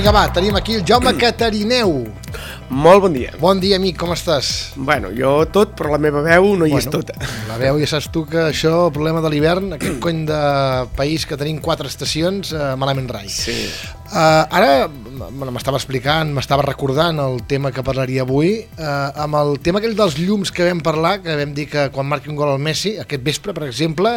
Vinga, va, tenim aquí el Jaume Catarineu. Molt bon dia. Bon dia, amic, com estàs? Bueno, jo tot, però la meva veu no hi és tota. La veu, ja saps tu que això, el problema de l'hivern, aquest cony de país que tenim 4 estacions, malament rai. Sí. Ara m'estava explicant, m'estava recordant el tema que parlaria avui, amb el tema aquell dels llums que vam parlar, que vam dir que quan marqui un gol al Messi, aquest vespre, per exemple,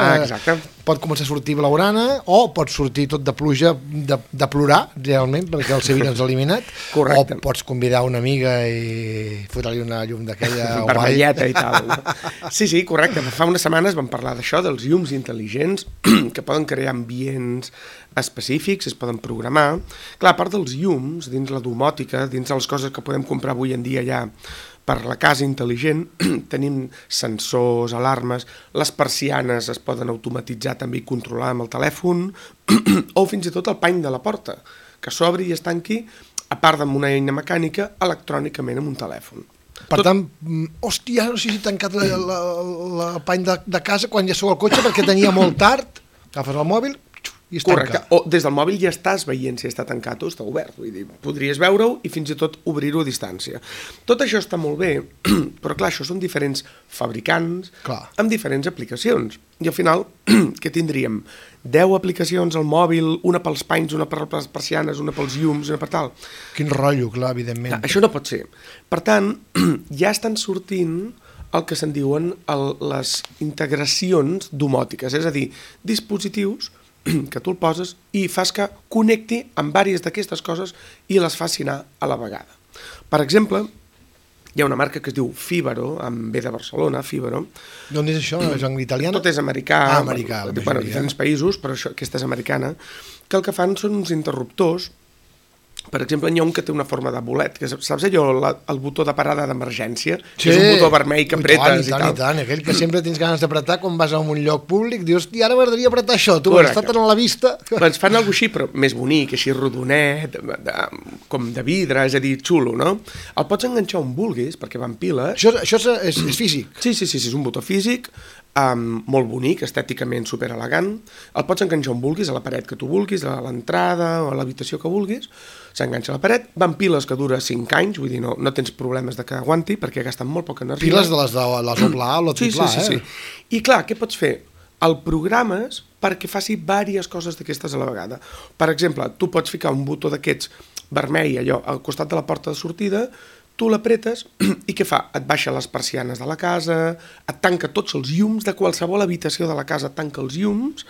pot començar a sortir blaugrana o pot sortir tot de pluja, de plorar, realment, perquè el Sevilla ens ha eliminat. Correcte. O pots convidar una amiga i fotre-li una llum d'aquella vermelleta i tal. Sí, correcte. Fa unes setmanes vam parlar d'això, dels llums intel·ligents que poden crear ambients específics, es poden programar. Clar, a part dels llums, dins la domòtica, dins de les coses que podem comprar avui en dia ja per la casa intel·ligent, tenim sensors, alarmes, les persianes es poden automatitzar també i controlar amb el telèfon, o fins i tot el pany de la porta, que s'obri i es tanqui, a part d'una eina mecànica, electrònicament amb un telèfon. Per tant, hòstia, no sé si he tancat el pany de casa quan ja sou al cotxe perquè tenia molt tard, agafes el mòbil i es tanca. Correcte, o des del mòbil ja estàs veient si està tancat o està obert, vull dir, podries veure-ho i fins i tot obrir-ho a distància. Tot això està molt bé, però clar, això són diferents fabricants amb diferents aplicacions. I al final, què tindríem? 10 aplicacions al mòbil, una pels panys, una per les persianes, una pels llums, una per tal. Quin rotllo, clar, evidentment. Això no pot ser. Per tant, ja estan sortint el que se'n diuen les integracions domòtiques, és a dir, dispositius que tu el poses i fas que connecti amb diverses d'aquestes coses i les faci anar a la vegada. Per exemple, hi ha una marca que es diu Fibaro, amb B de Barcelona, Fibaro. D'on és això? És en italià? Tot és americà. Americà. Bueno, diferents països, però aquesta és americana, que el que fan són uns interruptors. Per exemple, n'hi ha un que té una forma de bolet, que saps allò, el botó de parada d'emergència? Sí, és un botó vermell que apretes i tant, aquell que sempre tens ganes d'apretar quan vas a un lloc públic, dius, i ara m'agradaria apretar això, tu m'has estat a la vista. Doncs fan alguna així, però més bonic, així rodonet, com de vidre, és a dir, xulo, no? El pots enganxar on vulguis, perquè van piles. Això és físic? Sí, és un botó físic, molt bonic, estèticament superelegant. El pots enganxar on vulguis, a la paret que tu vulguis, a l'entrada o a l'habitació que vulguis. S'enganxa a la paret, van piles que dura 5 anys, vull dir, no tens problemes de que aguanti, perquè gasten molt poca energia. Piles de les doble A o la triple A, sí. I clar, què pots fer? El programes perquè faci diverses coses d'aquestes a la vegada. Per exemple, tu pots ficar un botó d'aquests vermell, allò, al costat de la porta de sortida, tu l'apretes i què fa? Et baixa les persianes de la casa, et tanca tots els llums de qualsevol habitació de la casa, et tanca els llums,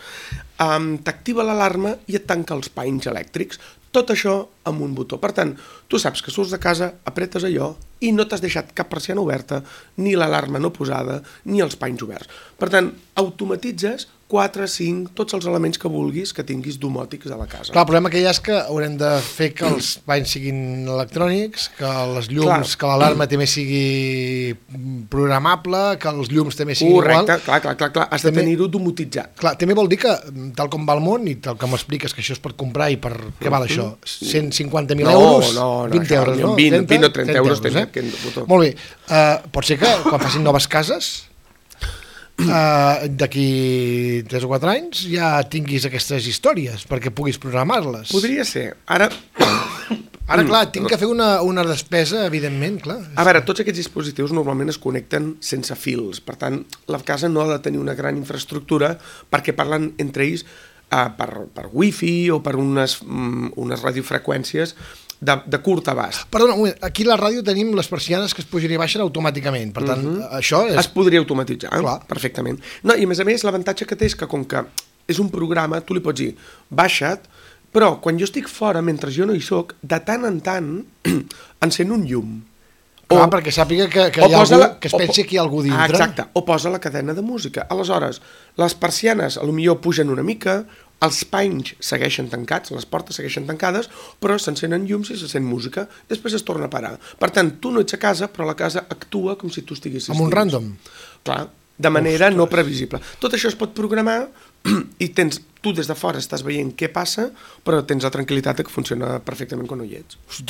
t'activa l'alarma i et tanca els panys elèctrics. Tot això amb un botó. Per tant, tu saps que surts de casa, apretes allò i no t'has deixat cap persiana oberta, ni l'alarma no posada, ni els panys oberts. Per tant, automatitzes 4, 5, tots els elements que vulguis que tinguis domòtics a la casa. Clar, el problema que hi ha és que haurem de fer que els panys siguin electrònics, que les llums, que l'alarma també sigui programable, que els llums també siguin igual. Correcte, clar, has de tenir-ho domotitzat. Clar, també vol dir que, tal com va el món, i tal com m'expliques que això es pot comprar i per què val això? 150.000 euros? No, 20 euros, no? 20 o 30 euros. Molt bé. Pot ser que quan facin noves cases, d'aquí 3 o 4 anys ja tinguis aquestes històries perquè puguis programar-les. Podria ser. Ara, clar, tinc que fer una despesa, evidentment, clar. A veure, tots aquests dispositius normalment es connecten sense fils, per tant, la casa no ha de tenir una gran infraestructura perquè parlen entre ells per wifi o per unes radiofreqüències de curt abast. Perdona, un moment, aquí a la ràdio tenim les persianes que es pugen i baixen automàticament, per tant, això és... Es podria automatitzar, perfectament. No, i a més, l'avantatge que té és que com que és un programa, tu li pots dir, baixa't, però quan jo estic fora, mentre jo no hi soc, de tant en tant encén un llum. Clar, perquè sàpiga que hi ha algú, que es pensi que hi ha algú dintre. Exacte, o posa la cadena de música. Aleshores, les persianes potser pugen una mica, els panys segueixen tancats, les portes segueixen tancades, però s'encenen llums i se sent música, després es torna a parar. Per tant, tu no ets a casa, però la casa actua com si tu estiguessis amb un random. Clar, de manera no previsible. Tot això es pot programar i tens tu des de fora estàs veient què passa, però tens la tranquil·litat que funciona perfectament quan no hi ets. Ho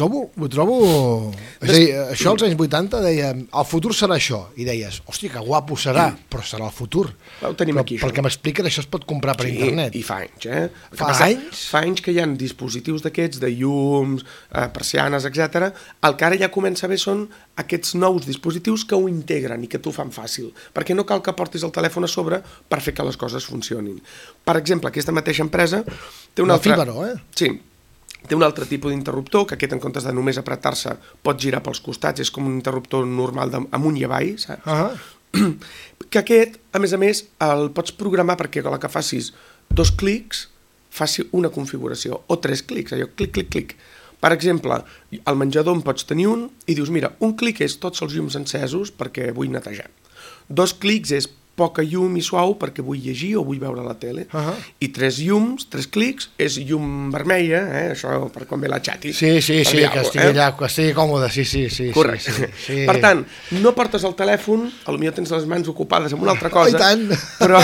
trobo... És a dir, això als anys 80 dèiem, el futur serà això, i deies, hòstia, que guapo serà, però serà el futur. Ho tenim aquí, pel que m'expliquen, això es pot comprar per internet. I fa anys, eh? Fa anys? Fa anys que hi ha dispositius d'aquests, de llums, persianes, etc. El que ara ja comença a ver són aquests nous dispositius que ho integren i que t'ho fan fàcil, perquè no cal que portis el telèfon a sobre per fer que les coses funcionin. Per exemple, aquesta mateixa empresa té un altre... Fíbaro, Sí, té un altre tipus d'interruptor, que aquest en comptes de només apretar-se pot girar pels costats, és com un interruptor normal amunt i avall, saps? Que aquest, a més, el pots programar perquè a la que facis 2 clics faci una configuració, o 3 clics, allò, clic, clic, clic. Per exemple, al menjador en pots tenir un i dius, mira, un clic és tots els llums encesos perquè vull netejar. 2 clics és poca llum i suau perquè vull llegir o vull veure la tele. I 3 llums, 3 clics, és llum vermella, això per quan ve la xati. Sí, que estigui allà, que estigui còmode, sí. Correcte. Sí. Per tant, no portes el telèfon, potser tens les mans ocupades amb una altra cosa, i tant. Però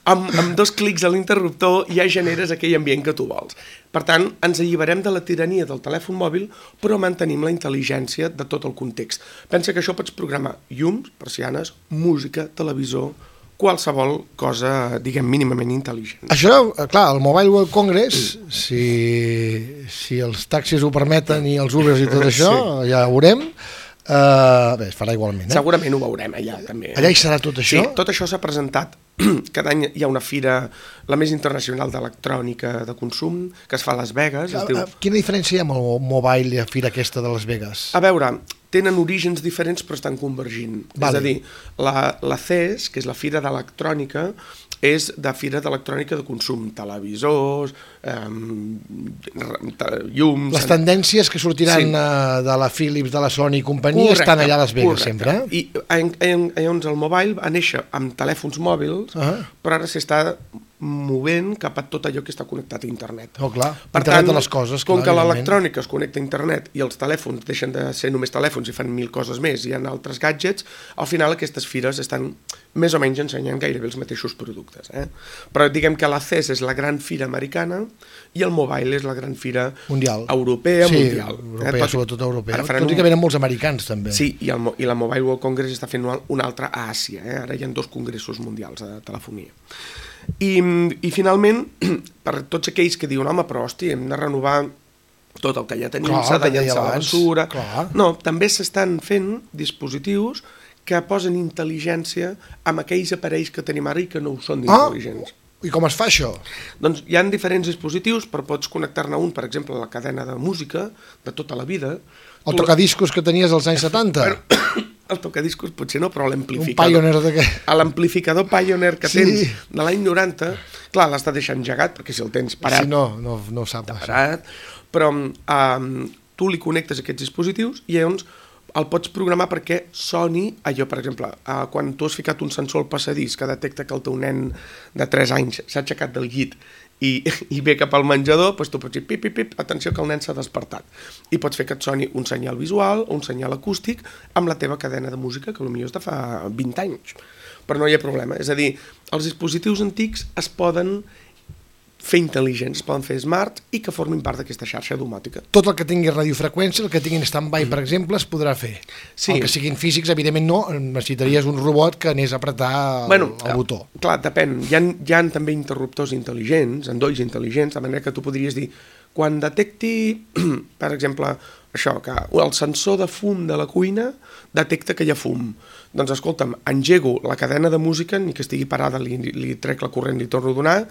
amb 2 clics a l'interruptor ja generes aquell ambient que tu vols. Per tant, ens alliberem de la tirania del telèfon mòbil, però mantenim la intel·ligència de tot el context. Pensa que això pots programar llums, persianes, música, televisor, qualsevol cosa, diguem, mínimament intel·ligent. Això, clar, el Mobile World Congress, si els taxis ho permeten i els Ubers i tot això, ja ho veurem. Bé, es farà igualment, Segurament ho veurem allà, també. Allà hi serà tot això? Sí, tot això s'ha presentat. Cada any hi ha una fira, la més internacional d'electrònica de consum, que es fa a Las Vegas. Quina diferència hi ha amb el Mobile i la fira aquesta de Las Vegas? A veure, tenen orígens diferents però estan convergint. És a dir, la CES, que és la fira d'electrònica, és de fira d'electrònica de consum, televisors, llums... Les tendències que sortiran de la Philips, de la Sony i companyia estan allà a Las Vegas sempre. I llavors el Mobile va néixer amb telèfons mòbils, però ara s'està movent cap a tot allò que està connectat a internet. Oh, clar, internet de les coses. Com que l'electrònica es connecta a internet i els telèfons deixen de ser només telèfons i fan 1000 coses més, i hi ha altres gadgets, al final aquestes fires estan més o menys ensenyant gairebé els mateixos productes. Però diguem que la CES és la gran fira americana i el Mobile és la gran fira mundial. Europea, mundial. Europea, sobretot europea. Tot i que venen molts americans, també. Sí, i la Mobile World Congress està fent un altre a Àsia. Ara hi ha 2 congressos mundials de telefonia. I finalment, per tots aquells que diuen, home, però hòstia, hem de renovar tot el que ja tenim, s'ha de llançar la basura. No, també s'estan fent dispositius que posen intel·ligència amb aquells aparells que tenim ara i que no ho són d'intel·ligents. I com es fa això? Doncs hi ha diferents dispositius, però pots connectar-ne un, per exemple, a la cadena de música de tota la vida. El tocadiscos que tenies als anys 70? El tocadiscos potser no, però l'amplificador... Un Pioneer de què? L'amplificador Pioneer que tens de l'any 90, clar, l'has de deixar engegat, perquè si el tens parat... Sí, no ho sap. Parat, però tu li connectes aquests dispositius i llavors el pots programar perquè soni allò, per exemple, quan tu has ficat un sensor al passadís que detecta que el teu nen de 3 anys s'ha aixecat del llit i ve cap al menjador, doncs tu pots dir pip, pip, pip, atenció que el nen s'ha despertat. I pots fer que et soni un senyal visual o un senyal acústic amb la teva cadena de música, que potser és de fa 20 anys. Però no hi ha problema. És a dir, els dispositius antics es poden fer intel·ligents, es poden fer smart i que formin part d'aquesta xarxa domòtica. Tot el que tingui radiofreqüència, el que tinguin stand-by, per exemple, es podrà fer. El que siguin físics, evidentment no, necessitaries un robot que anés a apretar el botó. Clar, depèn. Hi ha també interruptors intel·ligents, endolls intel·ligents, de manera que tu podries dir, quan detecti, per exemple, això, que el sensor de fum de la cuina detecta que hi ha fum. Doncs escolta'm, engego la cadena de música, ni que estigui parada, li trec la corrent, li torno a donar,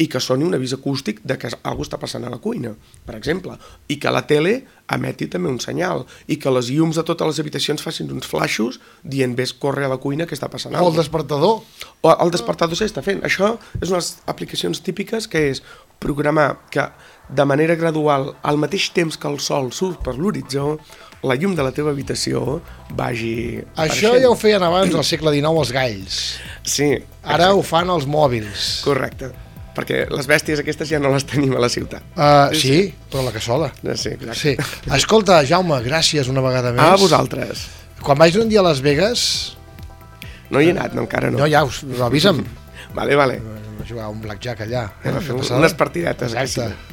i que soni un avís acústic de que alguna cosa està passant a la cuina, per exemple, i que la tele emeti també un senyal, i que les llums de totes les habitacions facin uns flaixos dient ves, corre a la cuina que està passant alguna cosa. O el despertador. O el despertador s'està fent. Això és unes aplicacions típiques que és programar que de manera gradual, al mateix temps que el sol surt per l'horitzó, la llum de la teva habitació vagi Això ja ho feien abans al segle XIX els galls. Sí. Ara ho fan els mòbils. Correcte. Perquè les bèsties aquestes ja no les tenim a la ciutat. Sí, però la cassola. Sí, exacte. Escolta, Jaume, gràcies una vegada més. A vosaltres. Quan vaig un dia a Las Vegas... No hi he anat, no, encara no. No, ja, avisa'm. Vale. jugar un blackjack allà. Unes partidetes. Exacte.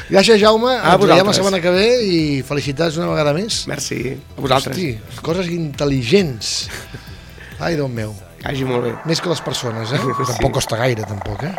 Gràcies, Jaume. Ens veiem la setmana que ve i felicitats una vegada més. Merci. A vosaltres. Hosti, coses intel·ligents. Ai, Déu meu. Que hagi molt bé. Més que les persones, eh? Tampoc costa gaire, tampoc, eh?